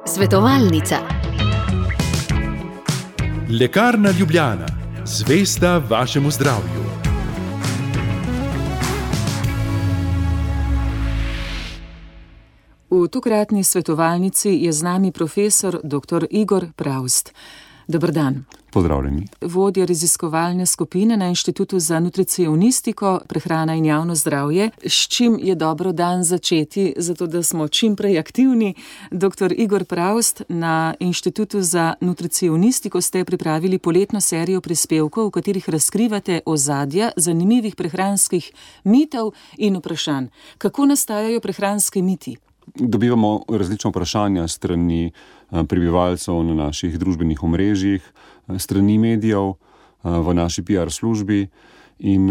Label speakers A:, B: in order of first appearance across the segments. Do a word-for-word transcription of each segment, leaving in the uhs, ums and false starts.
A: Svetovalnica.
B: Lekarna Ljubljana, zvesta vašemu zdravju.
C: V tokratni svetovalnici je z nami profesor doktor Igor Pravst. Dober dan.
D: Pozdravljeni.
C: Vodja raziskovalne skupine na Inštitutu za nutricionistiko, prehrana in javno zdravje. S čim je dobro dan začeti, zato da smo čim prej aktivni? Doktor Igor Pravst, na Inštitutu za nutricionistiko ste pripravili poletno serijo prispevkov, v katerih razkrivate ozadja zanimivih prehranskih mitov in vprašanj. Kako nastajajo prehranski miti?
D: Dobivamo različna vprašanja strani prebivalcev na naših družbenih omrežjih, strani medijev, v naši P R službi in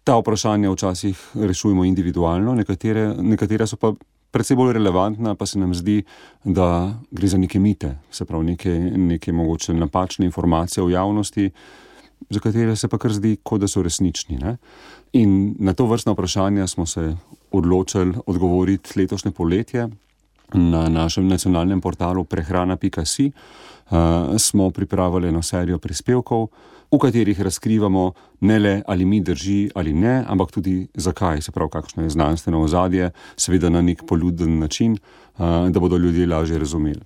D: ta vprašanja včasih rešujemo individualno, nekatere, nekatere so pa precej bolj relevantna, pa se nam zdi, da gre za neke mite, se pravi neke, neke mogoče napačne informacije v javnosti, za katere se pa kar zdi, kot da so resnični. Ne? In na to vrstna vprašanja smo se odločili odgovoriti letošnje poletje. Na našem nacionalnem portalu prehrana pika si uh, smo pripravili eno serijo prispevkov, v katerih razkrivamo ne le, ali mi drži ali ne, ampak tudi zakaj, se pravi, kakšno je znanstveno ozadje, seveda na nek poljuden način, uh, da bodo ljudje lažje razumeli.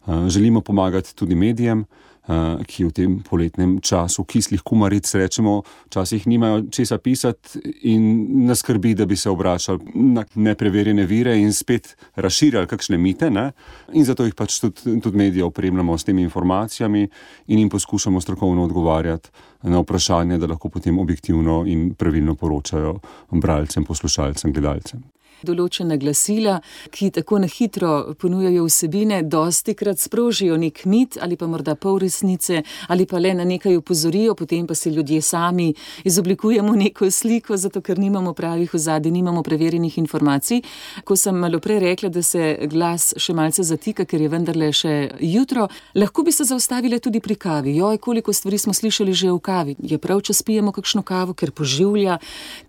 D: Uh, želimo pomagati tudi medijem, Uh, ki v tem poletnem času kislih kumaric, rečemo, včasih nimajo česa pisati in nas skrbi, da bi se obračali na nepreverjene vire in spet razširjali kakšne mite, ne? In zato jih pač tudi, tudi medije opremljamo s temi informacijami in jim poskušamo strokovno odgovarjati na vprašanje, da lahko potem objektivno in pravilno poročajo bralcem, poslušalcem, gledalcem.
C: Določena glasila, ki tako na hitro ponujajo vsebine, dostikrat sprožijo nek mit ali pa morda pol resnice ali pa le na nekaj opozorijo, potem pa se ljudje sami izoblikujemo neko sliko, zato ker nimamo pravih ozadij, nimamo preverjenih informacij. Ko sem malo prej rekla, da se glas še malce zatika, ker je vendarle še jutro, lahko bi se zaustavile tudi pri kavi. Joj, koliko stvari smo slišali že v kavi. Je prav, če spijemo kakšno kavo, ker poživlja.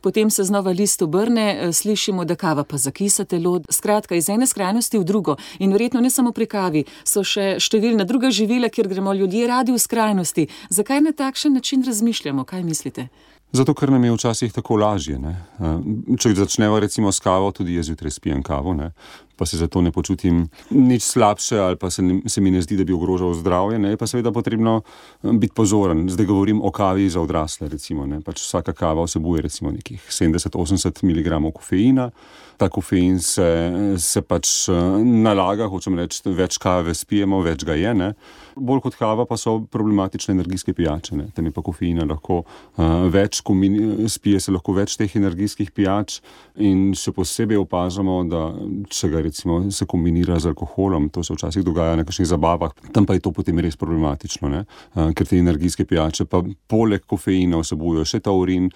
C: Potem se znova list obrne, slišimo, da kava pa zakisa telo. Skratka, iz ene skrajnosti v drugo. In verjetno ne samo pri kavi, so še številna druga živila, kjer gremo ljudje radi v skrajnosti. Zakaj na takšen način razmišljamo? Kaj mislite?
D: Zato, ker nam je včasih tako lažje. Ne? Če začneva recimo s kavo, tudi jaz zjutraj spijem kavo, ne? Pa se zato ne počutim nič slabše ali pa se, ne, se mi ne zdi, da bi ogrožal zdravje, ne? Je pa seveda potrebno biti pozoren. Zdaj govorim o kavi za odrasle, recimo, ne? Pač vsaka kava vsebuje recimo nekih sedemdeset do osemdeset miligramov kofeina. Ta kofein se, se pač nalaga, hočem reči, več kave spijemo, več ga je, ne? Bolj kot kava pa so problematične energijske pijače, ne? Tam je pa kofeina lahko uh, več, kombini, spije se lahko več teh energijskih pijač in še posebej opažamo, da če ga recimo se kombinira z alkoholom, to se včasih dogaja na kakšnih zabavah, tam pa je to potem res problematično, ne? Uh, ker te energijske pijače pa poleg kofeina vsebujejo še taurin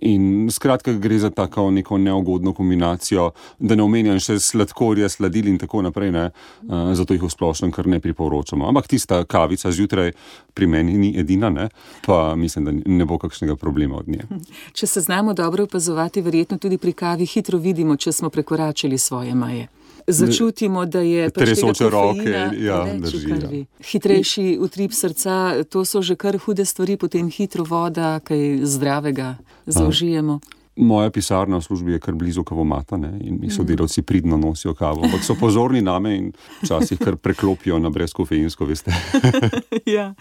D: in skratka gre za tako neko neugodno kombinacijo, da ne omenjam še sladkorja, sladil in tako naprej, ne? Uh, zato jih v splošnem kar ne priporočamo. Ampak tista kavica zjutraj pri meni ni edina, ne? Pa mislim, da ne bo kakšnega problema od nje.
C: Če se znamo dobro opazovati, verjetno tudi pri kavi hitro vidimo, če smo prekoračili svoje meje. Začutimo, da je pač tega kofeina
D: ja,
C: več v krvi. Hitrejši utrip srca, to so že kar hude stvari, potem hitro voda, kaj zdravega zaužijemo.
D: Moja pisarna v službi je kar blizu kavomata, ne, in mi sodelavci pridno nosijo kavo, ampak so pozorni name in včasih kar preklopijo na brezkofeinsko, veste.
C: Ja.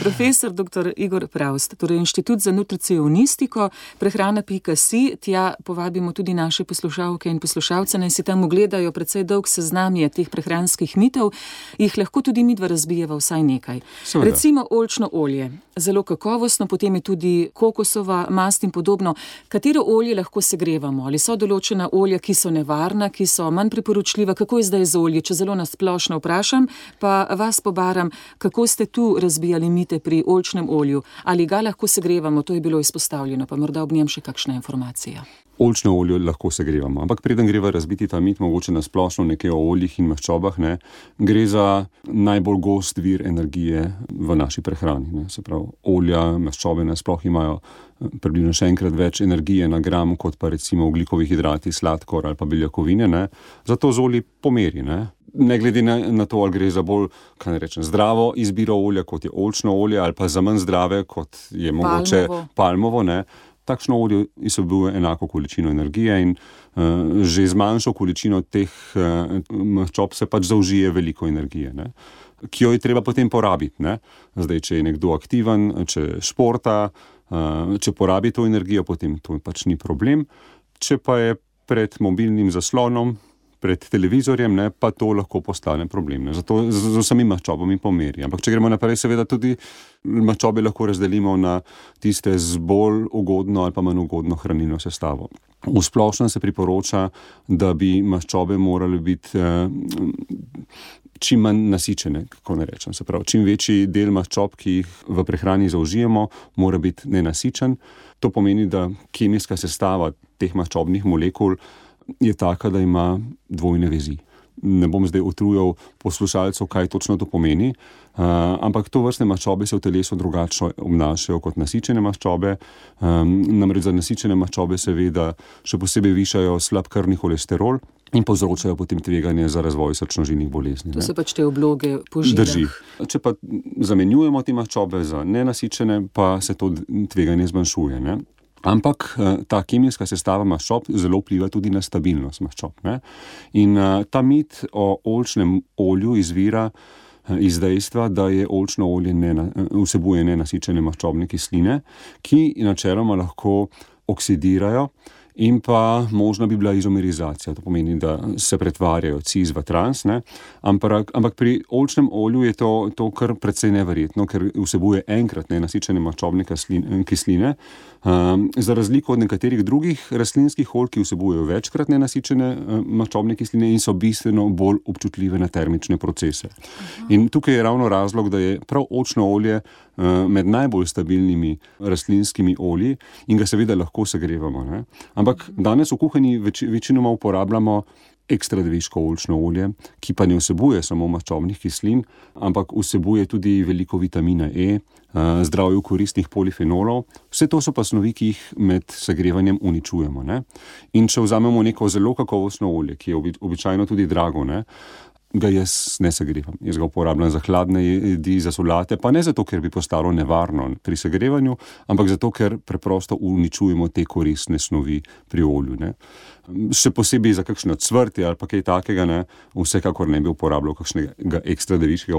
C: Profesor doktor Igor Pravst, torej Inštitut za nutricionistiko, prehrana pika si, tja povabimo tudi naše poslušalke in poslušalce, naj si tam ogledajo precej dolg seznam je teh prehranskih mitov, jih lahko tudi midva razbijeva vsaj nekaj. Seveda. Recimo oljčno olje, zelo kakovostno, potem je tudi kokosova mast in podobno. Katero olje lahko segrevamo? Ali so določena olja, ki so nevarna, ki so manj priporočljiva? Kako je zdaj z olje? Če zelo nasplošno vprašam, pa vas pobaram, kako ste tu razbijali mite pri oljčnem olju? Ali ga lahko segrevamo? To je bilo izpostavljeno, pa morda ob njem še kakšna informacija.
D: Oljčno olje lahko segrevamo, ampak preden greva razbiti ta mit, mogoče na splošno nekaj o oljih in maščobah, ne, gre za najbolj gost vir energije v naši prehrani. Ne. Se pravi, olja, maščobe nasploh imajo približno še enkrat več energije na gram, kot pa recimo ogljikovi hidrati, sladkor ali pa beljakovine. Ne. Zato z olji pomeri. Ne. Ne glede na, na to, ali gre za bolj, kaj ne rečem, zdravo izbiro olja, kot je oljčno olje, ali pa za manj zdrave, kot je mogoče palmovo, palmovo ne. Takšno olje vsebuje enako količino energije in uh, že z manjšo količino teh uh, maščob se pač zaužije veliko energije, ne, ki jo je treba potem porabiti. Ne. Zdaj, če je nekdo aktiven, če športa, uh, če porabi to energijo, potem to pač ni problem. Če pa je pred mobilnim zaslonom, pred televizorjem, ne, pa to lahko postane problem. Ne. Zato z, z vsemi maščobami pomeri. Ampak če gremo naprej, seveda tudi maščobe lahko razdelimo na tiste z bolj ugodno ali pa manj ugodno hranilno sestavo. V splošnem se priporoča, da bi maščobe morale biti eh, čim manj nasičene, kako ne rečem. Se pravi, čim večji del maščob, ki jih v prehrani zaužijemo, mora biti nenasičen. To pomeni, da kemijska sestava teh maščobnih molekul je taka, da ima dvojne vezi. Ne bom zdaj utrujal poslušalcev, kaj točno to pomeni, uh, ampak to vrstne maščobe se v telesu drugačno obnašajo kot nasičene maščobe. Um, namreč za nasičene maščobe seveda še posebej višajo slab krvni holesterol in povzročajo potem tveganje za razvoj srčno-žilnih bolezni.
C: To so pač te obloge po žilah.
D: Drži. Če pa zamenjujemo te maščobe za nenasičene, pa se to tveganje zmanjšuje. Ne? Ampak ta kemijska sestava maščob zelo vpliva tudi na stabilnost maščob. Ne? In ta mit o oljčnem olju izvira iz dejstva, da je oljčno olje nena, vsebuje nenasičene maščobne kisline, ki načeloma lahko oksidirajo in pa možna bi bila izomerizacija. To pomeni, da se pretvarjajo cis v trans, ne? Ampak, ampak pri oljčnem olju je to, to kar precej neverjetno, ker vsebuje enkrat nenasičene maščobne kisline, um, za razliko od nekaterih drugih rastlinskih olj, ki vsebujejo večkrat nenasičene um, maščobne kisline in so bistveno bolj občutljive na termične procese. Aha. In tukaj je ravno razlog, da je prav oljčno olje uh, med najbolj stabilnimi rastlinskimi olji in ga seveda lahko segrevamo. Ne? Ampak danes v kuhinji več, večinoma uporabljamo ekstra deviško oljčno olje, ki pa ne vsebuje samo maščobnih kislin, ampak vsebuje tudi veliko vitamina E, zdravju koristnih polifenolov. Vse to so pa snovi, ki jih med segrevanjem uničujemo. Ne? In če vzamemo neko zelo kakovostno olje, ki je obi, običajno tudi drago, ne? ga jaz ne segrevam. Jaz ga uporabljam za hladne jedi, za solate, pa ne zato, ker bi postalo nevarno pri segrevanju, ampak zato, ker preprosto uničujemo te koristne snovi pri olju. Ne. Še posebej za kakšno cvrtje ali pa kaj takega, ne, vsekakor ne bi uporabljal kakšnega ekstra deviškega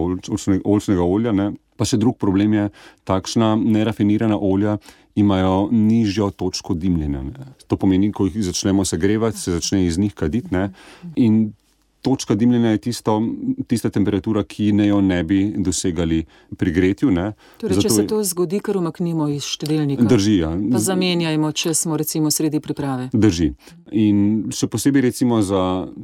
D: oljčnega olja. Ne. Pa še drug problem je, takšna nerafinirana olja imajo nižjo točko dimljenja. Ne. To pomeni, ko jih začnemo segrevati, se začne iz njih kaditi, ne, in točka dimljenja je tisto, tista temperatura, ki ne jo ne bi dosegali pri gretju. Ne.
C: Torej, Zato če se to zgodi, kar umaknimo iz štedilnika.
D: Drži, ja.
C: Pa zamenjajmo, če smo recimo sredi priprave.
D: Drži. In še posebej recimo za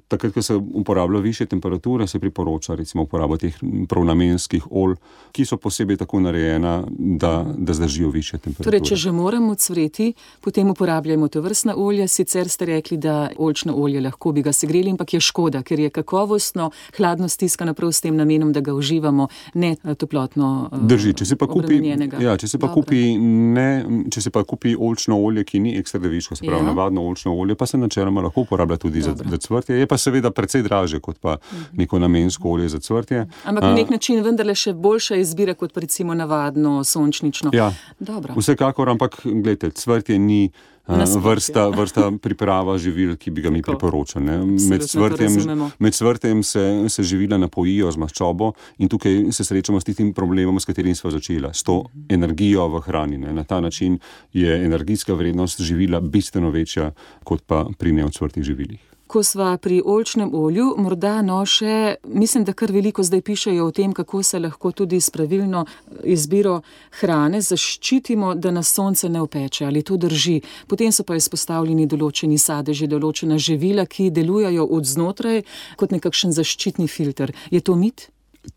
D: takrat, ko se uporablja više temperature, se priporoča recimo uporabo teh prav namenskih olj, ki so posebej tako narejena, da, da zdržijo više temperature.
C: Torej, če že moramo cvreti, potem uporabljajmo to vrstna olja. Sicer ste rekli, da oljčno olje lahko bi ga segreli, ampak je škoda, ker je kakovostno, hladno stiskano prav s tem namenom, da ga uživamo, ne toplotno
D: Drži, če se pa kupi,
C: obremenjenega.
D: Ja, če se pa kupi, ne, če se pa kupi oljčno olje, ki ni ekstra deviško, se pravi, ja. Navadno oljčno olje, pa se načeloma lahko uporablja tudi za, za cvrtje. Je pa seveda precej dražje, kot pa neko namensko olje za cvrtje.
C: Ampak na nek način vendarle še boljša izbira, kot pa recimo navadno sončnično.
D: Ja,
C: Dobro.
D: Vsekakor, ampak gledajte, cvrtje ni Vrsta, vrsta priprava živil, ki bi ga mi priporočali. Med cvrtjem, med cvrtjem se, se živila napojijo z maščobo in tukaj se srečamo s tistim problemom, s katerim sva začela, s to energijo v hrani. Ne. Na ta način je energijska vrednost živila bistveno večja, kot pa pri neocvrtih živilih.
C: Ko sva pri oljčnem olju, morda no še, mislim, da kar veliko zdaj pišejo o tem, kako se lahko tudi s pravilno izbiro hrane zaščitimo, da nas sonce ne opeče, ali to drži. Potem so pa izpostavljeni določeni sadeži, določena živila, ki delujejo od znotraj kot nekakšen zaščitni filter. Je to mit?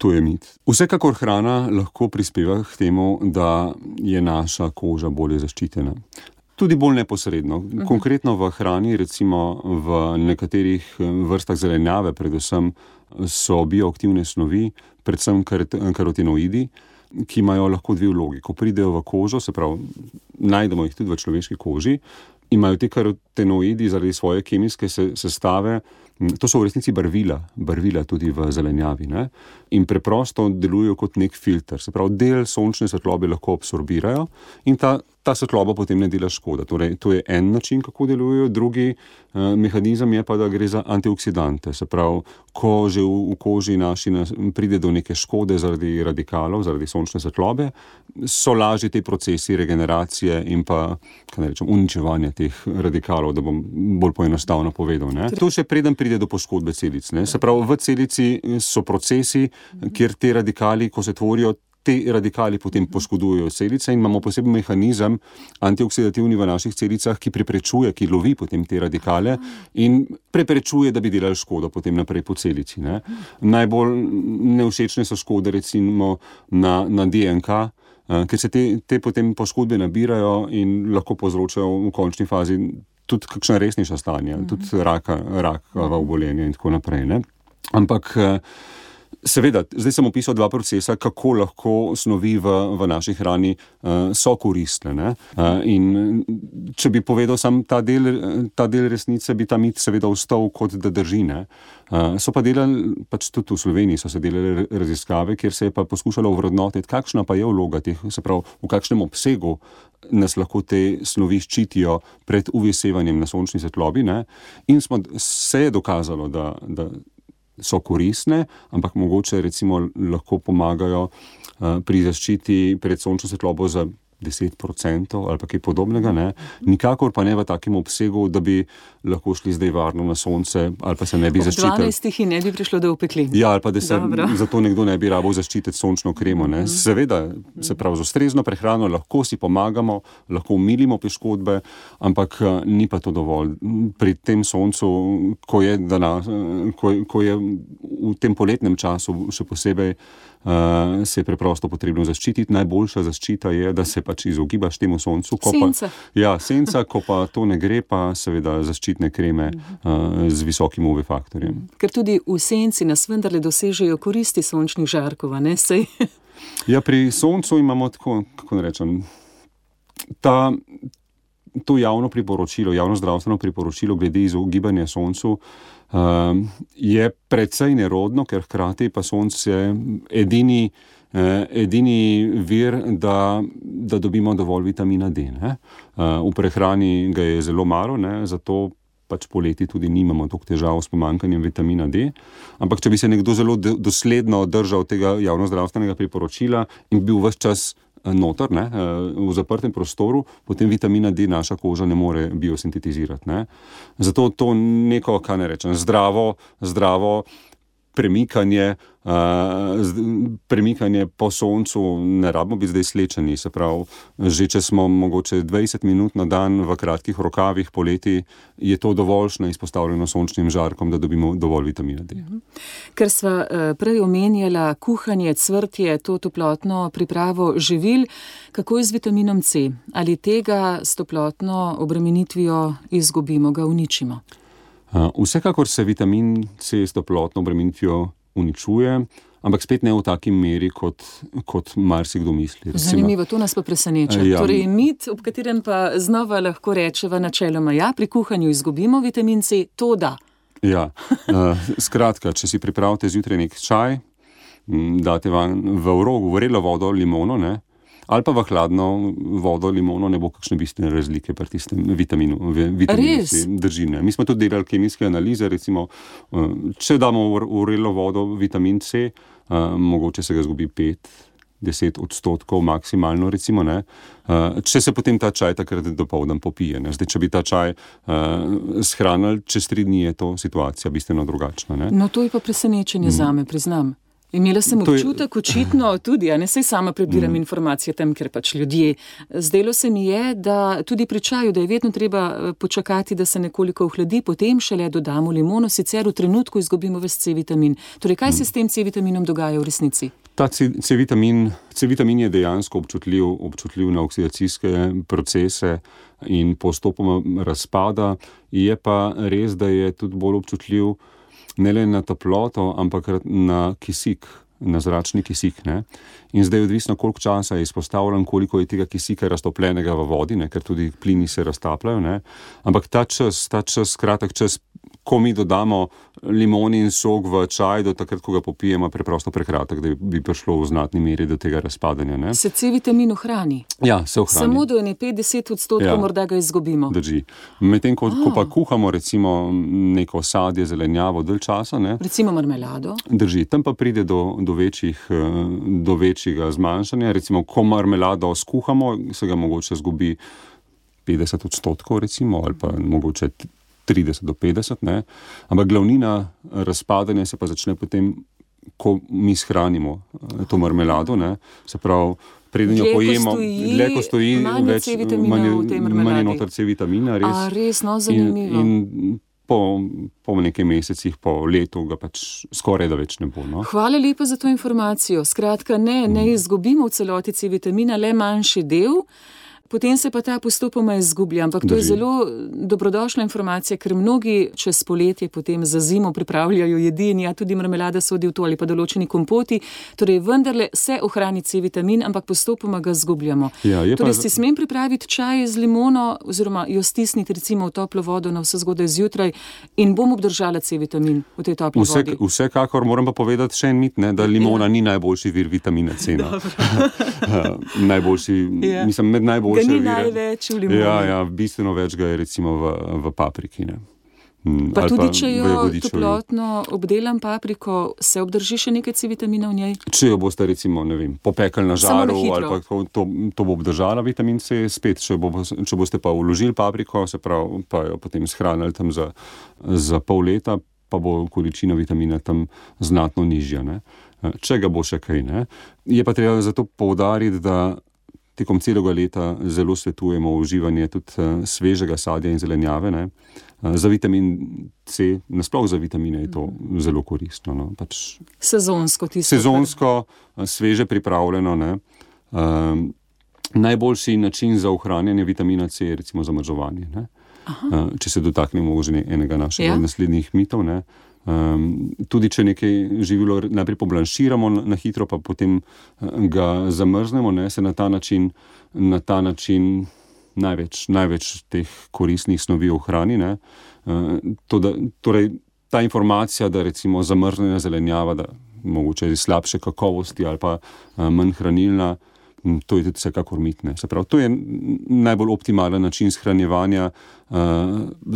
D: To je mit. Vsekakor hrana lahko prispeva k temu, da je naša koža bolje zaščitena. Tudi bolj neposredno. Konkretno v hrani, recimo v nekaterih vrstah zelenjave, predvsem so bioaktivne snovi, predvsem karotenoidi, ki imajo lahko dve vlogi. Ko pridejo v kožo, se pravi, najdemo jih tudi v človeški koži, imajo te karotenoidi zaradi svoje kemijske sestave, to so v resnici barvila, barvila tudi v zelenjavi, ne? In preprosto delujejo kot nek filter. Se pravi, del sončne svetlobe lahko absorbirajo in ta, ta svetloba potem ne dela škoda. Torej, to je en način, kako delujejo. Drugi eh, mehanizem je pa, da gre za antioksidante. Se pravi, ko že v, v koži naši pride do neke škode zaradi radikalov, zaradi sončne svetlobe, so lažji te procesi regeneracije in pa, kaj ne rečem, uničevanja teh radikalov, da bom bolj poenostavno povedal, ne? To še preden pride do poškodbe celic, ne? Se pravi, v celici so procesi, kjer te radikali, ko se tvorijo, te radikali potem poškodujejo celice in imamo poseben mehanizem antioksidativni v naših celicah, ki preprečuje, ki lovi potem te radikale in preprečuje, da bi delali škodo potem naprej po celici, ne? Najbolj nevšečne so škode recimo na, na D N K, ker se te, te potem poškodbe nabirajo in lahko povzročajo v končni fazi tudi kakšna resnejša stanja, mm-hmm. tudi raka, rakava obolenja in tako naprej, ne? Ampak seveda, zdaj sem opisal dva procesa, kako lahko snovi v, v naši hrani uh, so koristne, ne? Uh, in če bi povedal sam ta del, ta del resnice, bi ta mit seveda ostal kot da drži, ne? Uh, so pa delali, pač tudi v Sloveniji so se delali raziskave, kjer se je pa poskušalo ovrednotiti, kakšna pa je vloga teh, se pravi, v kakšnem obsegu nas lahko te snovi ščitijo pred U V sevanjem na sončni svetlobi, ne? In smo, se je dokazalo, da, da so koristne, ampak mogoče recimo lahko pomagajo uh, pri zaščiti pred sončno svetlobo za deset procentov ali pa kaj podobnega, ne? Nikakor pa ne v takem obsegu, da bi lahko šli zdaj varno na sonce ali pa se ne bi zaščitili.
C: Ob dvanajstih ne bi prišlo do opeklin.
D: Ja, ali pa da se zato nekdo ne bi rabil zaščititi sončno kremo, ne? Seveda, se pravi, z ustrezno prehrano lahko si pomagamo, lahko umilimo poškodbe, ampak ni pa to dovolj. Pri tem soncu, ko je, danes, ko, ko je v tem poletnem času še posebej, Uh, se je preprosto potrebno zaščititi. Najboljša zaščita je, da se pač izogibaš temu soncu. Ko
C: senca.
D: Pa, ja, senca, ko pa to ne gre, pa seveda zaščitne kreme uh, z visokim U V faktorjem.
C: Ker tudi v senci nas vendarle dosežejo koristi sončnih žarkov, ne sej?
D: Ja, pri soncu imamo tako, kako ne rečem, ta, to javno priporočilo, javno zdravstveno priporočilo glede izogibanja soncu Uh, je precej nerodno, ker hkrati pa sonce edini, eh, edini vir, da, da dobimo dovolj vitamina D, ne? Uh, v prehrani ga je zelo malo, ne? Zato pač poleti tudi nimamo toliko težav s pomanjkanjem vitamina D. Ampak če bi se nekdo zelo dosledno držal tega javnozdravstvenega priporočila in bil ves čas noter, ne, v zaprtem prostoru, potem vitamina D naša koža ne more biosintetizirati, ne. Zato to neko, kaj ne rečem, zdravo, zdravo premikanje, uh, premikanje po soncu, ne rabimo biti zdaj slečeni, se pravi, že če smo mogoče dvajset minut na dan v kratkih rokavih poleti, je to dovoljšno izpostavljeno sončnim žarkom, da dobimo dovolj vitamina D.
C: Ker sva prej omenjala kuhanje, cvrtje, to toplotno pripravo živil, kako je z vitaminom C? Ali tega s toplotno obremenitvijo izgubimo, ga uničimo?
D: Uh, vsekakor se vitamin C s toplotno obremenitvijo uničuje, ampak spet ne v taki meri, kot, kot marsikdo misli. Recimo.
C: Zanimivo, to nas pa preseneča. Ja. Torej, mit, ob katerem pa znova lahko rečeva načeloma, ja, pri kuhanju izgubimo vitamin C, to da.
D: Ja, uh, skratka, če si pripravite zjutraj nek čaj, date van v vrogo, vrelo vodo, limono, ne, ali pa v hladno vodo, limono, ne bo kakšne bistvene razlike pri tistem vitaminu. vitaminu C, drži, ne. Mi smo tudi delali kemijske analize, recimo, če damo v vrelo vodo vitamin C, mogoče se ga zgubi pet, deset odstotkov maksimalno, recimo, ne. Če se potem ta čaj takrat dopoldan popije, ne. Zdaj, če bi ta čaj uh, shranili, čez tri dni je to situacija bistveno drugačna, ne.
C: No, to je pa presenečenje mm. zame, priznam. Imela sem občutek, očitno tudi, a ne sej sama prebiram mm. informacije tam, ker pač ljudje. Zdelo se mi je, da tudi pri čaju, da je vedno treba počakati, da se nekoliko ohladi, potem šele dodamo limono, sicer v trenutku izgubimo ves C-vitamin. Torej, kaj mm. se s tem C-vitaminom dogaja v resnici?
D: Ta C-vitamin, C-vitamin je dejansko občutljiv, občutljiv na oksidacijske procese, in postopoma razpada. Je pa res, da je tudi bolj občutljiv ne le na toploto, ampak na kisik, na zračni kisik. Ne? In zdaj je odvisno, koliko časa je izpostavljen, koliko je tega kisika raztopljenega v vodi, ne? Ker tudi plini se raztapljajo. Ne? Ampak ta čas, ta čas, kratek čas, ko mi dodamo limonin sok v čaj, do takrat, ko ga popijemo, preprosto prekratek, da bi prišlo v znatni meri do tega razpadanja. Ne?
C: Se C-vitamin ohrani?
D: Ja, se ohrani.
C: Samo do ene petdeset odstotkov ja, morda ga izgubimo.
D: Drži. Medtem, ko, ko pa kuhamo recimo neko sadje, zelenjavo dalj časa. Ne?
C: Recimo marmelado.
D: Drži. Tam pa pride do, do, večjih, do večjega zmanjšanja. Recimo, ko marmelado skuhamo, se ga mogoče zgubi petdeset odstotkov recimo, ali pa mogoče trideset do petdeset, ne. Ampak glavnina razpadanja se pa začne potem, ko mi shranimo to marmelado, ne. Se pravi, preden jo pojemo, dlje ko stoji, več manj je noter C-vitamina, res.
C: A, res, no, zanimivo.
D: In, in po, po nekaj mesecih, po letu ga pač skoraj da več ne bo. No.
C: Hvala lepa za to informacijo. Skratka, ne, ne izgubimo v celoti C-vitamina, le manjši del. Potem se pa ta postopoma izgublja, ampak to je zelo dobrodošla informacija, ker mnogi čez poletje potem za zimo pripravljajo jedi in ja, tudi marmelada sodi v to ali pa določeni kompoti, torej vendarle se ohrani C-vitamin, ampak postopoma ga izgubljamo.
D: Ja,
C: torej si smem pripraviti čaj z limono oziroma jo stisniti recimo v toplo vodo na vse zgodaj zjutraj in bom obdržala C-vitamin v tej topli
D: Vse,
C: vodi.
D: Vsekakor moram pa povedati še en mit, ne, da limona ja. ni najboljši vir vitamina C. najboljši, ja. mislim, med najboljši
C: Ga ni največ v limoni.
D: Ja, ja, bistveno več ga je recimo v, v papriki. Ne.
C: Pa tudi, pa če jo toplotno obdelam papriko, se obdrži še nekaj C-vitamina v njej?
D: Če jo boste recimo, ne vem, popekali na žaru, ali pa to, to bo obdržala vitamin C, spet, če, bo, če boste pa vložili papriko, se pravi, pa jo potem shranili tam za, za pol leta, pa bo količina vitamina tam znatno nižja. Ne. Če ga bo še kaj, ne. Je pa treba zato poudariti, da tekom celega leta zelo svetujemo uživanje tudi svežega sadja in zelenjave. Ne. Za vitamin C, nasploh za vitamine je to zelo koristno. No. Pač
C: sezonsko tisto.
D: Sezonsko, sveže pripravljeno. Ne. Um, najboljši način za ohranjanje vitamina C je recimo zamrzovanje. Ne. Uh, če se dotaknemo že enega našega ja. naslednjih mitov. Ne. Um, tudi če nekaj živilo najprej poblanširamo na hitro, pa potem ga zamrznemo, ne, se na ta način, na ta način največ, največ teh koristnih snovi ohrani. Ne. Uh, to, da, torej, ta informacija, da recimo zamrznjena zelenjava, da mogoče je slabše kakovosti ali pa uh, manj hranilna, to je tudi vsekakor mit. Ne. Se pravi, to je najbolj optimalen način shranjevanja uh,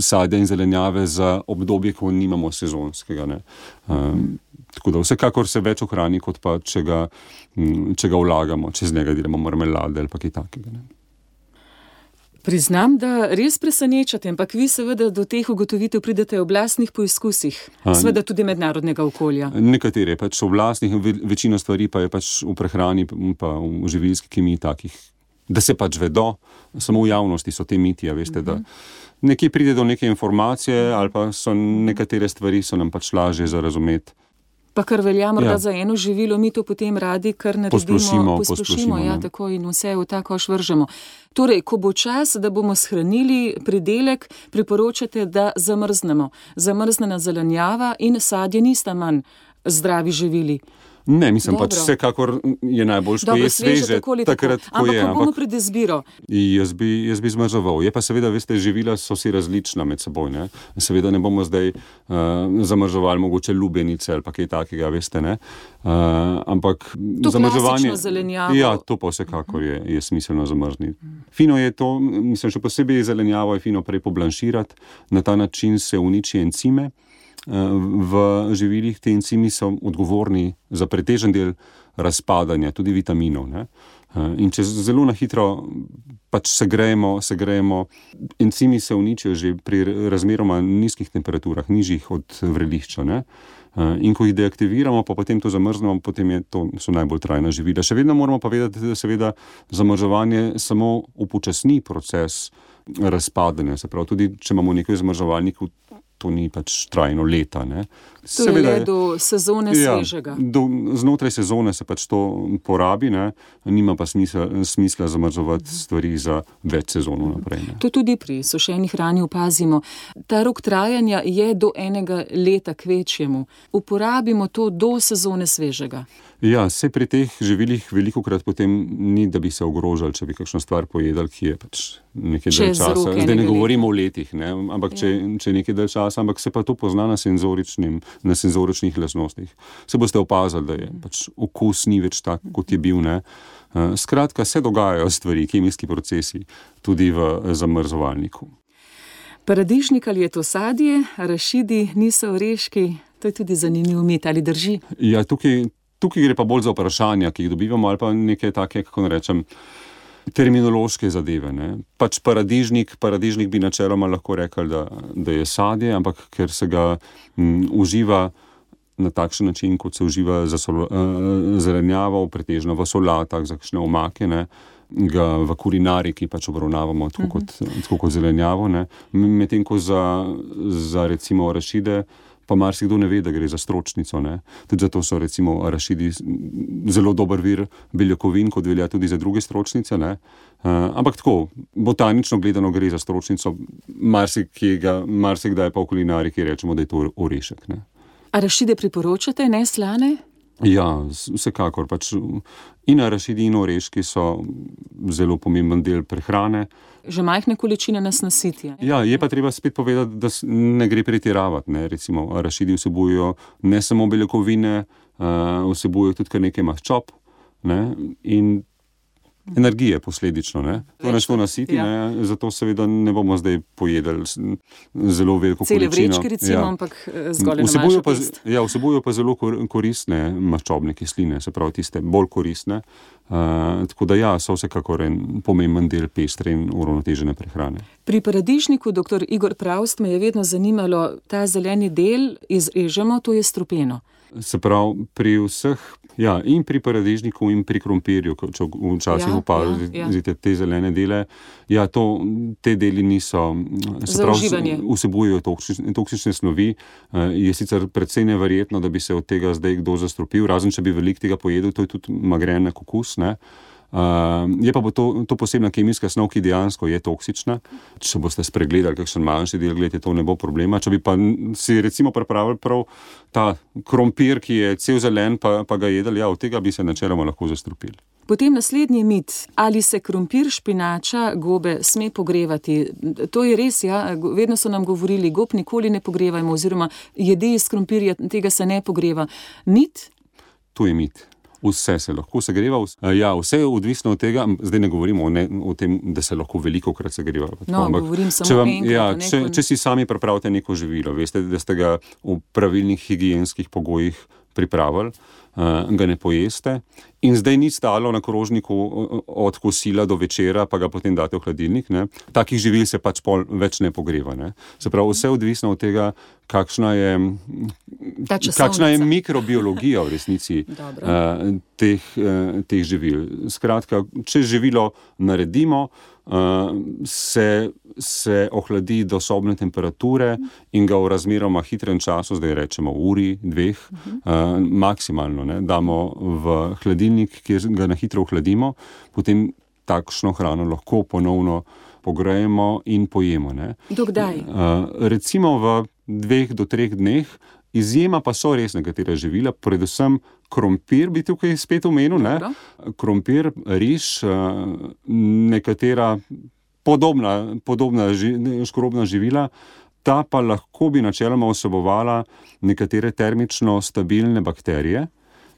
D: sadja in zelenjave za obdobje, ko nimamo sezonskega. Ne. Um, tako da vsekakor se več ohrani, kot pa če ga, če ga vlagamo, če z njega delamo marmelade ali pa kaj takega. Ne.
C: Priznam, da res presenečate, ampak vi seveda do teh ugotovitev pridete v oblastnih poizkusih, seveda tudi mednarodnega okolja.
D: Nekatere pač v oblastnih, večino stvari pa je pač v prehrani pa v živilski kemiji takih, da se pač vedo, samo v javnosti so te mitije, veste, uh-huh. da nekje pride do neke informacije ali pa so nekatere stvari so nam pač lažje za razumeti.
C: Pa kar velja morda ja. za eno živilo, mi to potem radi kar naredimo,
D: posplošimo,
C: posplošimo ja, tako in vse v ta koš vržemo. Torej, ko bo čas, da bomo shranili pridelek, priporočate, da zamrznemo. Zamrznjena zelenjava in sadje nista manj zdravi živili.
D: Ne, mislim Dobro. pač vsekakor je najbolj, ko je sveže, takrat, ko
C: ampak
D: je.
C: Ampak ko bomo pred izbiro?
D: Jaz bi, jaz bi zmrzoval. Je pa seveda, veste, živila so si različna med seboj, ne. Seveda ne bomo zdaj uh, zamrzovali mogoče lubenice ali pa kaj takega, veste, ne. Uh, ampak
C: to
D: zamrzovanje.
C: klasično zelenjavo.
D: Ja, to pa vsekakor je, je smiselno zamrzniti. Fino je to, mislim, še posebej zelenjavo je fino prej poblanširati, na ta način se uniči encime. V živilih te encimi so odgovorni za pretežen del razpadanja, tudi vitaminov. Ne? In če zelo na hitro pač segrejemo, segrejemo, encimi se uničijo že pri razmeroma nizkih temperaturah, nižjih od vrelišča. Ne? In ko jih deaktiviramo, pa potem to zamrznemo, potem je to, so najbolj trajna živila. Še vedno moramo pa vedeti, da seveda zamrzovanje samo upočasni proces razpadanja. Se pravi, tudi če imamo nekaj v zamrzovalniku to ni pač trajno leta. Ne.
C: To Seveda, je le do sezone ja, svežega.
D: Do, znotraj sezone se pač to porabi, ne. Nima pa smisla, smisla zamrzovati stvari za več sezonov naprej. Ne.
C: To tudi pri sušeni hrani opazimo. Ta rok trajanja je do enega leta kvečjemu. Uporabimo to do sezone svežega.
D: Ja, se pri teh živilih velikokrat potem ni, da bi se ogrožali, če bi kakšno stvar pojedali, ki je pač nekaj dalj časa. Zdaj ne govorimo o letih, ne, ampak ja. če, če nekaj dalj časa, ampak se pa to pozna na senzoričnim, na senzoričnih lastnostih. Se boste opazili, da je pač okus ni več tak, kot je bil, ne. Skratka, se dogajajo stvari, kemijski procesi, tudi v zamrzovalniku.
C: Paradižnik ali je to sadje, arašidi niso oreški, to je tudi zanimiv mit, ali drži?
D: Ja, tukaj Tukaj gre pa bolj za vprašanja, ki jih dobivamo, ali pa neke take, kako ne rečem, terminološke zadeve. Ne. Pač paradižnik, paradižnik bi načeloma lahko rekel, da, da je sadje, ampak ker se ga m, uživa na takšen način, kot se uživa za sol, uh, zelenjavo, pretežno v solatah, za kakšne omake, ne, ga v kulinariki pač obravnavamo tako, uh-huh. kot, tako kot zelenjavo. Ne. Medtem ko za, za recimo arašide, pa marsikdo ne ve, da gre za stročnico. Ne. Tudi zato so recimo arašidi zelo dober vir beljakovin, kot velja tudi za druge stročnice. Ne. Uh, ampak tako, botanično gledano gre za stročnico, marsikdaj pa v kulinariki rečemo, da je to orešek. Ne.
C: Arašide priporočate, ne slane?
D: Ja, vsekakor. Pač in arašidi in oreški so zelo pomemben del prehrane.
C: Že majhne količine nas nasitijo.
D: Ja, je pa treba spet povedati, da ne gre pretiravati. Ne. Recimo, arašidi vsebujejo ne samo beljakovine, uh, vsebujejo tudi kar nekaj maščob, ne, in energije posledično. Ne. To nas to nasiti, ja. ne, zato seveda ne bomo zdaj pojedali zelo veliko
C: Cele
D: količino.
C: Cele vrečke recimo, ja. ampak zgolj na
D: vsebujejo
C: manjšo
D: pa,
C: test.
D: Ja, vsebujejo pa zelo koristne maščobne kisline, se pravi tiste bolj koristne. Uh, tako da ja, so vsekakor en pomemben del pestre in uravnotežene prehrane.
C: Pri paradižniku, doktor Igor Pravst, me je vedno zanimalo, ta zeleni del izrežemo, to je strupeno.
D: Se pravi, pri vseh, ja, in pri paradižniku in pri krompirju, če včasih ja, opazite ja, ja. te zelene dele, ja, to, te deli niso, se pravi, vsebujejo toksične, toksične snovi, je sicer precej neverjetno, da bi se od tega zdaj kdo zastrupil, razen če bi veliko tega pojedel, to je tudi magren okus, ne. Uh, je pa bo to, to posebna kemijska snov, ki dejansko je toksična. Če boste spregledali kakšen manjši del, gledajte, to ne bo problema. Če bi pa si recimo pripravili prav ta krompir, ki je cel zelen, pa, pa ga jedli, ja, od tega bi se načeloma lahko zastrupili.
C: Potem naslednji mit, ali se krompir, špinača, gobe sme pogrevati. To je res, ja, vedno so nam govorili, gob nikoli ne pogrevajmo, oziroma jedi iz krompirja, tega se ne pogreva. Mit?
D: To je mit. Vse se lahko segreva, ja, vse je odvisno od tega, zdaj ne govorimo o, ne, o tem, da se lahko veliko krat segreva.
C: No,
D: ampak,
C: govorim samo
D: če vam,
C: enkrat.
D: Ja,
C: Neko...
D: če, če si sami pripravite neko živilo, veste, da ste ga v pravilnih higienskih pogojih pripravili, uh, ga ne pojeste in zdaj ni stalo na krožniku od kosila do večera, pa ga potem date v hladilnik, ne. Takih živil se pač pol več ne pogreva, ne. Se pravi, vse odvisno od tega, kakšna je, kakšna je mikrobiologija v resnici uh, teh, uh, teh živil. Skratka, če živilo naredimo, uh, se, se ohladi do sobne temperature in ga v razmeroma hitrem času, zdaj rečemo uri, dveh, uh, maksimalno, ne, damo v hladilnik, kjer ga na hitro ohladimo, potem takšno hrano lahko ponovno pogrejemo in pojemo. Ne.
C: Do kdaj?
D: Uh, recimo v dveh do treh dneh, izjema pa so res nekatera živila, predvsem krompir bi tukaj spet omenil, ne? Krompir, riž, nekatera podobna, podobna ži, škorobna živila, ta pa lahko bi načeloma vsebovala nekatere termično stabilne bakterije,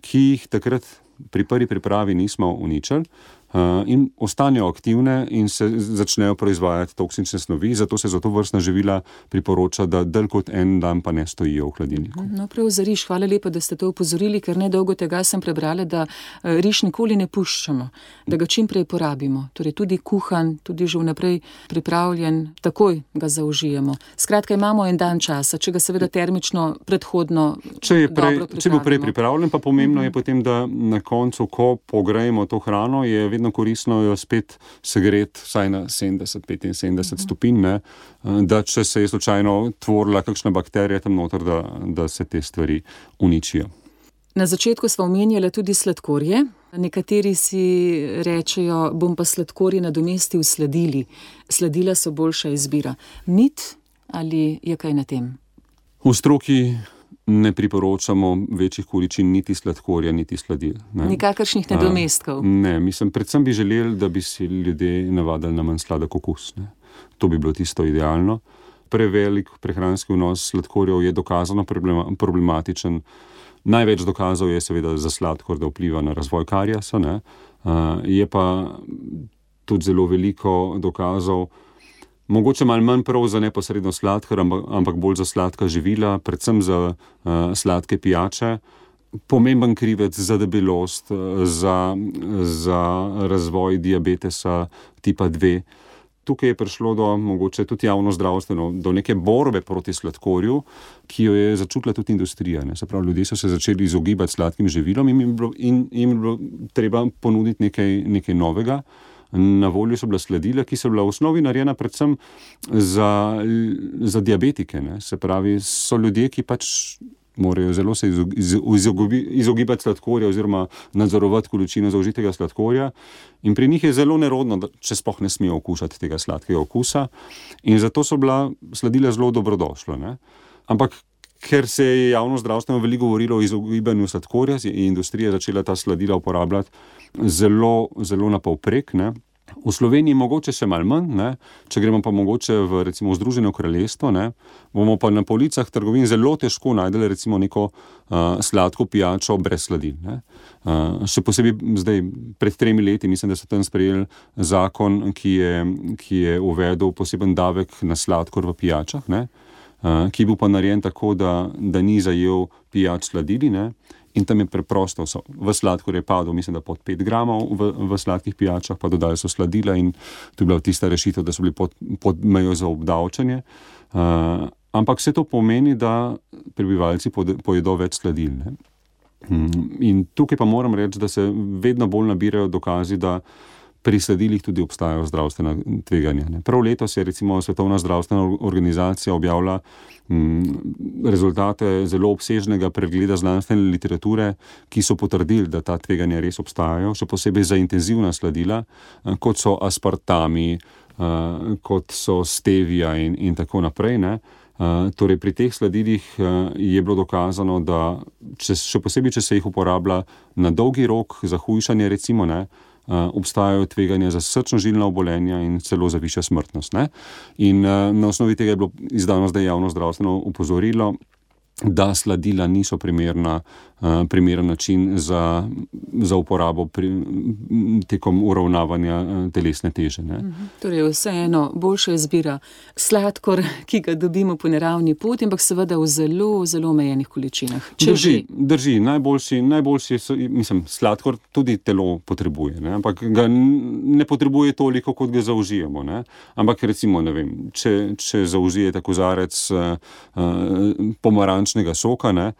D: ki jih takrat pri prvi pripravi nismo uničili, Uh, in ostanejo aktivne in se začnejo proizvajati toksične snovi, zato se za to vrstna živila priporoča, da dalj kot en dan pa ne stojijo v hladilniku.
C: No, prav za riž, hvala lepa, da ste to upozorili, ker nedolgo tega sem prebrala, da riž nikoli ne puščamo, da ga čim prej porabimo. Torej tudi kuhan, tudi že vnaprej pripravljen, takoj ga zaužijemo. Skratka, imamo en dan časa, če ga seveda termično predhodno
D: če je prej,
C: dobro
D: če bo prej pripravljen, pa pomembno uh-huh. je potem, da na koncu, ko pogrejemo to hrano, je vedno koristno jo spet segreti vsaj na sedemdeset do petinsedemdeset stopinj, ne, da če se je slučajno tvorila kakšna bakterija tam noter, da, da se te stvari uničijo.
C: Na začetku smo omenjali tudi sladkorje. Nekateri si rečejo, bom pa sladkorje nadomestil s sladili. Sladila so boljša izbira. Mit ali je kaj na tem?
D: V stroki ne priporočamo večjih količin niti sladkorja, niti sladil. Ne.
C: Nikakršnih nadomestkov?
D: Ne, mislim, predvsem bi želeli, da bi si ljudje navadili na manj sladek okus. Ne. To bi bilo tisto idealno. Prevelik prehranski vnos sladkorjev je dokazano problematičen. Največ dokazov je seveda za sladkor, da vpliva na razvoj kariesa, ne. Uh, je pa tudi zelo veliko dokazov, mogoče malo manj prav za neposredno sladkor, ampak, ampak bolj za sladka živila, predvsem za uh, sladke pijače. Pomemben krivec za debelost, za, za razvoj diabetesa tipa dve. Tukaj je prišlo do, mogoče tudi javno zdravstveno, do neke borbe proti sladkorju, ki jo je začutila tudi industrija. Ne. Se pravi, ljudje so se začeli izogibati sladkim živilom in jim je bilo, in, in je bilo treba ponuditi nekaj, nekaj novega. Na voljo so bila sladila, ki so bila v osnovi narejena predvsem za, za diabetike. Ne. Se pravi, so ljudje, ki pač morajo zelo se izogibati sladkorja oziroma nadzorovati količino zaužitega sladkorja. In pri njih je zelo nerodno, da, če sploh ne smejo okušati tega sladkega okusa. In zato so bila sladila zelo dobrodošla. Ne. Ampak ker se je javno zdravstveno veliko govorilo o izogibanju sladkorja, je industrija začela ta sladila uporabljati zelo, zelo na povprek, ne. V Sloveniji mogoče še malo manj, ne? Če gremo pa mogoče v recimo Združeno kraljestvo, ne? Bomo pa na policah trgovin zelo težko najdeli recimo neko uh, sladko pijačo brez sladil. Ne? Uh, še posebej zdaj, pred tremi leti, mislim, da so tam sprejeli zakon, ki je, ki je uvedel poseben davek na sladkor v pijačah, ne? Uh, ki bil pa narejen tako, da, da ni zajel pijač sladili, ne? In tam je preprosto, so, v sladkor je padel, mislim, da pod pet gramov v, v sladkih pijačah, pa dodali so sladila in to je bila tista rešitev, da so bili pod, pod mejo za obdavčanje. Uh, ampak vse to pomeni, da prebivalci pojedo več sladil. Ne? In tukaj pa moram reči, da se vedno bolj nabirajo dokazi, da pri sladilih tudi obstajajo zdravstvena tveganja. Ne. Prav letos je recimo Svetovna zdravstvena organizacija objavila m, rezultate zelo obsežnega pregleda znanstvene literature, ki so potrdili, da ta tveganja res obstajajo, še posebej za intenzivna sladila, kot so aspartami, kot so stevia in, in tako naprej. Ne. Uh, torej pri teh sladilih uh, je bilo dokazano, da če, še posebej, če se jih uporablja na dolgi rok za hujšanje, recimo, ne, uh, obstajajo tveganja za srčno-žilna obolenja in celo za višja smrtnost. Ne. In uh, na osnovi tega je bilo izdano zdaj javno zdravstveno opozorilo, da sladila niso primerna, uh, primeren način za, za uporabo pri, tekom uravnavanja uh, telesne teže. Ne.
C: Mhm. Torej vseeno boljša izbira sladkor, ki ga dobimo po naravni poti, ampak seveda v zelo, zelo omejenih količinah.
D: Drži, drži. Najboljši, najboljši so, mislim, sladkor tudi telo potrebuje, ne. Ampak ga ne potrebuje toliko, kot ga zaužijemo. Ne. Ampak recimo, ne vem, če, če zaužijete kozarec uh, uh, pomaranč soka, ne,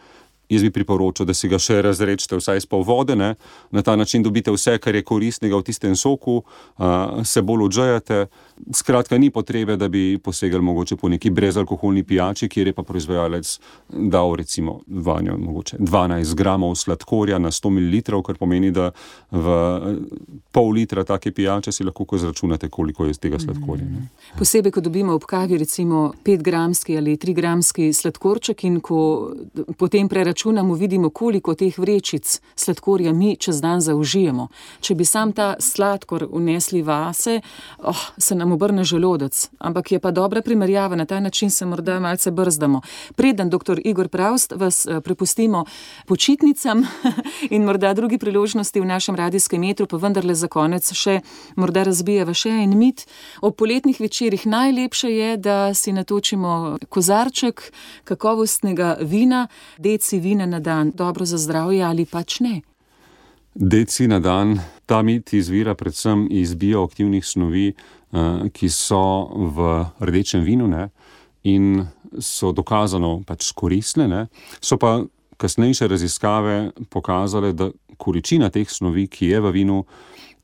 D: jaz bi priporočil, da si ga še razrečete vsaj s pol vode, ne, na ta način dobite vse, kar je koristnega v tistem soku, uh, se bolj odžejate. Skratka, ni potrebe, da bi posegali mogoče po neki brezalkoholni pijači, kjer je pa proizvajalec dal recimo vanjo mogoče dvanajst gramov sladkorja na sto mililitrov, kar pomeni, da v pol litra take pijače si lahko izračunate, koliko je tega sladkorja. Ne.
C: Posebej, ko dobimo ob kavi recimo petgramski ali trigramski sladkorček in ko potem preračunamo, vidimo, koliko teh vrečic sladkorja mi čez dan zaužijemo. Če bi sam ta sladkor vnesli vase, oh, se nam obrne želodec. Ampak je pa dobra primerjava, na ta način se morda malce brzdamo. Preden doktor Igor Pravst vas prepustimo počitnicam in morda drugi priložnosti v našem radijskem etru, pa vendarle za konec še morda razbijeva še en mit. Ob poletnih večerih najlepše je, da si natočimo kozarček kakovostnega vina, deci vina na dan. Dobro za zdravje ali pač ne?
D: Deci na dan, ta mit izvira predvsem iz bioaktivnih snovi, ki so v rdečem vinu, ne, in so dokazano pač koristne, ne. So pa kasnejše raziskave pokazale, da količina teh snovi, ki je v vinu,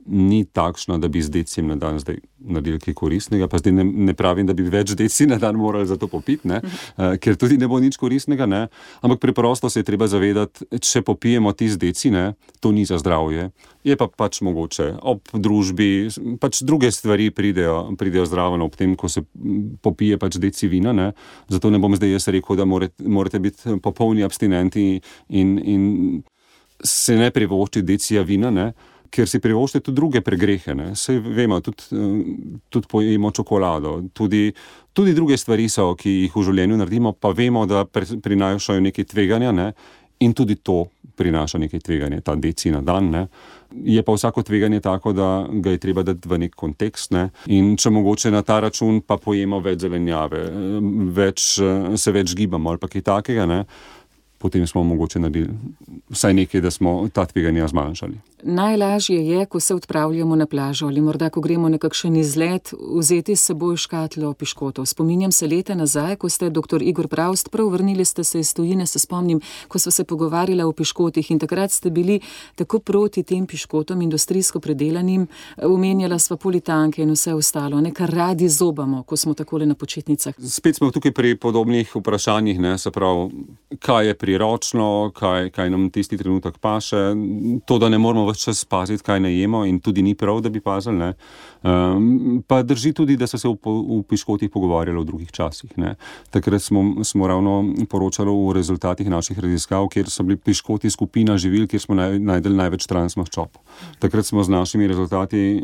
D: ni takšna, da bi z decijem na dan zdaj naredili kaj koristnega, pa zdaj ne, ne pravim, da bi več deci na dan morali za to popiti, ne? Uh, ker tudi ne bo nič koristnega, ne? Ampak preprosto se je treba zavedati, če popijemo tisti deci, ne, to ni za zdravje, je pa pač mogoče ob družbi, pač druge stvari pridejo, pridejo zraven ob tem, ko se popije pač deci vina, ne? Zato ne bom zdaj jaz rekel, da morate, morate biti popolni abstinenti in, in se ne privoščiti decija vina, ne? Ker si privoščite tudi druge pregrehe, ne. Saj vemo, tudi, tudi pojemo čokolado, tudi, tudi druge stvari so, ki jih v življenju naredimo, pa vemo, da prinašajo nekaj tveganja, ne, in tudi to prinaša nekaj tveganja, ta deci na dan, ne. Je pa vsako tveganje tako, da ga je treba dati v nek kontekst, ne, in če mogoče na ta račun pa pojemo več zelenjave, več, se več gibamo ali pa kaj takega, ne, potem smo mogoče naredili vsaj nekaj, da smo ta tveganja zmanjšali.
C: Najlažje je, ko se odpravljamo na plažo ali morda, ko gremo na kakšen izlet, vzeti s seboj škatlo piškotov. Spominjam se leta nazaj, ko ste doktor Igor Pravst prav vrnili ste se iz tujine, se spomnim, ko sva se pogovarjala o piškotih in takrat ste bili tako proti tem piškotom, industrijsko predelanim, omenjala sva politanke in vse ostalo, ne, kar radi zobamo, ko smo takole na počitnicah.
D: Spet smo tukaj pri podobnih vprašanjih, ne, se pravi, kaj je priročno, kaj, kaj nam tisti trenutek paše, to, da ne moramo čas paziti, kaj ne jemo in tudi ni prav, da bi pazili, ne. Um, pa drži tudi, da so se v, v piškotih pogovarjali v drugih časih, ne. Takrat smo, smo ravno poročali o rezultatih naših raziskav, kjer so bili piškoti skupina živil, kjer smo naj, najdeli največ transmaščob. Takrat smo z našimi rezultati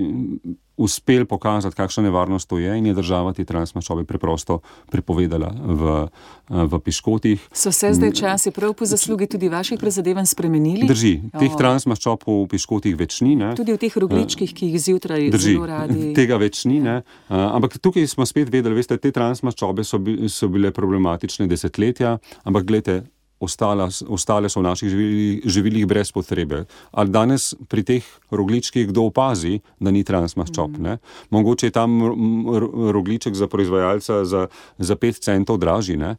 D: uspeli pokazati, kakšna nevarnost to je in je država te transmaščobe preprosto prepovedala v, v piškotih.
C: So se zdaj časi prav po zaslugi tudi vaših prizadevanj spremenili?
D: Drži. Teh transmaščob v piškotih več ni, ne.
C: Tudi v teh rogličkih, ki jih zjutraj
D: Drži.
C: Zelo radi.
D: Tega več ni, ne. Ampak tukaj smo spet vedeli, veste, te transmaščobe so, bi, so bile problematične desetletja, ampak glejte, Ostala, ostale so v naših živilih, živilih brez potrebe. Ali danes pri teh rogličkih kdo opazi, da ni transmaščob, ne? Mogoče je tam rogliček za proizvajalca za, za pet centov dražji, ne?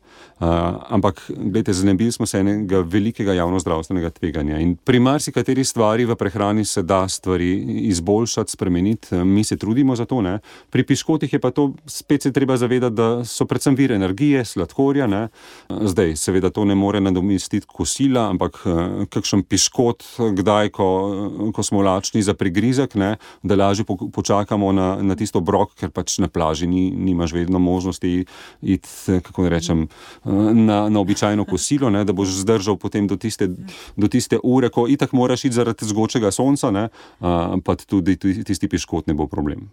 D: Uh, ampak, gledajte, znebili smo se enega velikega javnozdravstvenega tveganja in pri marsikateri stvari v prehrani se da stvari izboljšati, spremeniti, mi se trudimo za to, ne? Pri piškotih je pa to, spet se treba zavedati, da so predvsem vir energije, sladkorja, ne? Zdaj, seveda to ne more nadomestiti kosila, ampak kakšen piškot, kdaj, ko, ko smo lačni za prigrizek, ne, da lažje po, počakamo na, na tisto obrok, ker pač na plaži ni, nimaš vedno možnosti iti, kako ne rečem, na, na običajno kosilo, ne, da boš zdržal potem do tiste, do tiste ure, ko itak moraš iti zaradi zgočega sonca, ne, pa tudi tisti piškot ne bo problem.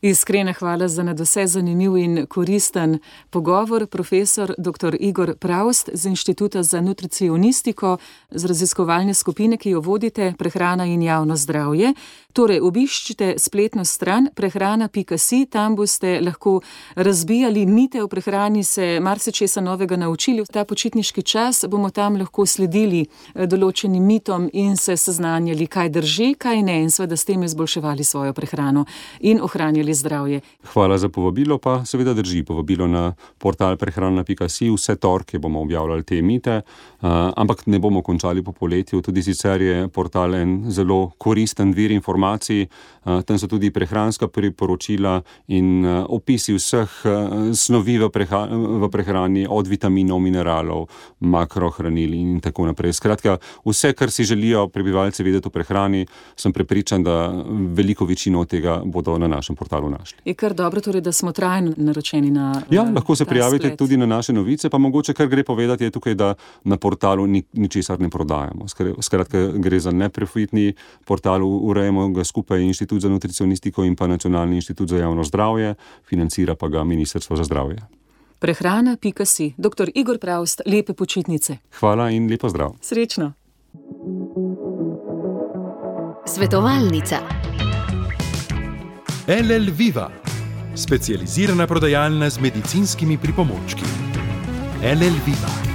C: Iskrena hvala za nadvse zanimiv in koristen pogovor, profesor doktor Igor Pravst z Inštituta za nutricionistiko, z raziskovalne skupine, ki jo vodite, Prehrana in javno zdravje. Torej, obiščite spletno stran prehrana pika si, tam boste lahko razbijali mite o prehrani, se marsičesa novega naučili. V ta počitniški čas bomo tam lahko sledili določenim mitom in se seznanjali, kaj drži, kaj ne, in seveda s tem izboljševali svojo prehrano in ohranjali zdravje.
D: Hvala za povabilo, pa seveda drži povabilo na portal prehrana pika si. Vse torke bomo objavljali te mite, uh, ampak ne bomo končali po poletju. Tudi sicer je portal en zelo koristen vir informacij. Uh, tam so tudi prehranska priporočila in uh, opisi vseh uh, snovi v, preha v prehrani, od vitaminov, mineralov, makrohranil in tako naprej. Skratka, vse, kar si želijo prebivalci vedeti o prehrani, sem prepričan, da veliko večino tega bodo na našem portalu našli.
C: Je kar dobro, torej, da smo trajno naročeni na
D: Ja, lahko se prijavite
C: sled.
D: tudi na naše novice, pa mogoče kar gre povedati je tukaj, da na portalu ni, ničesar ne prodajamo. Skratka, gre za neprofitni portal, urejamo ga skupaj Inštitut za nutricionistiko in pa Nacionalni inštitut za javno zdravje, financira pa ga Ministrstvo za zdravje.
C: prehrana pika si. doktor Igor Pravst, lepe počitnice.
D: Hvala in lepo zdrav.
C: Srečno.
A: Svetovalnica.
B: L L Viva, specializirana prodajalna z medicinskimi pripomočki. L L Viva.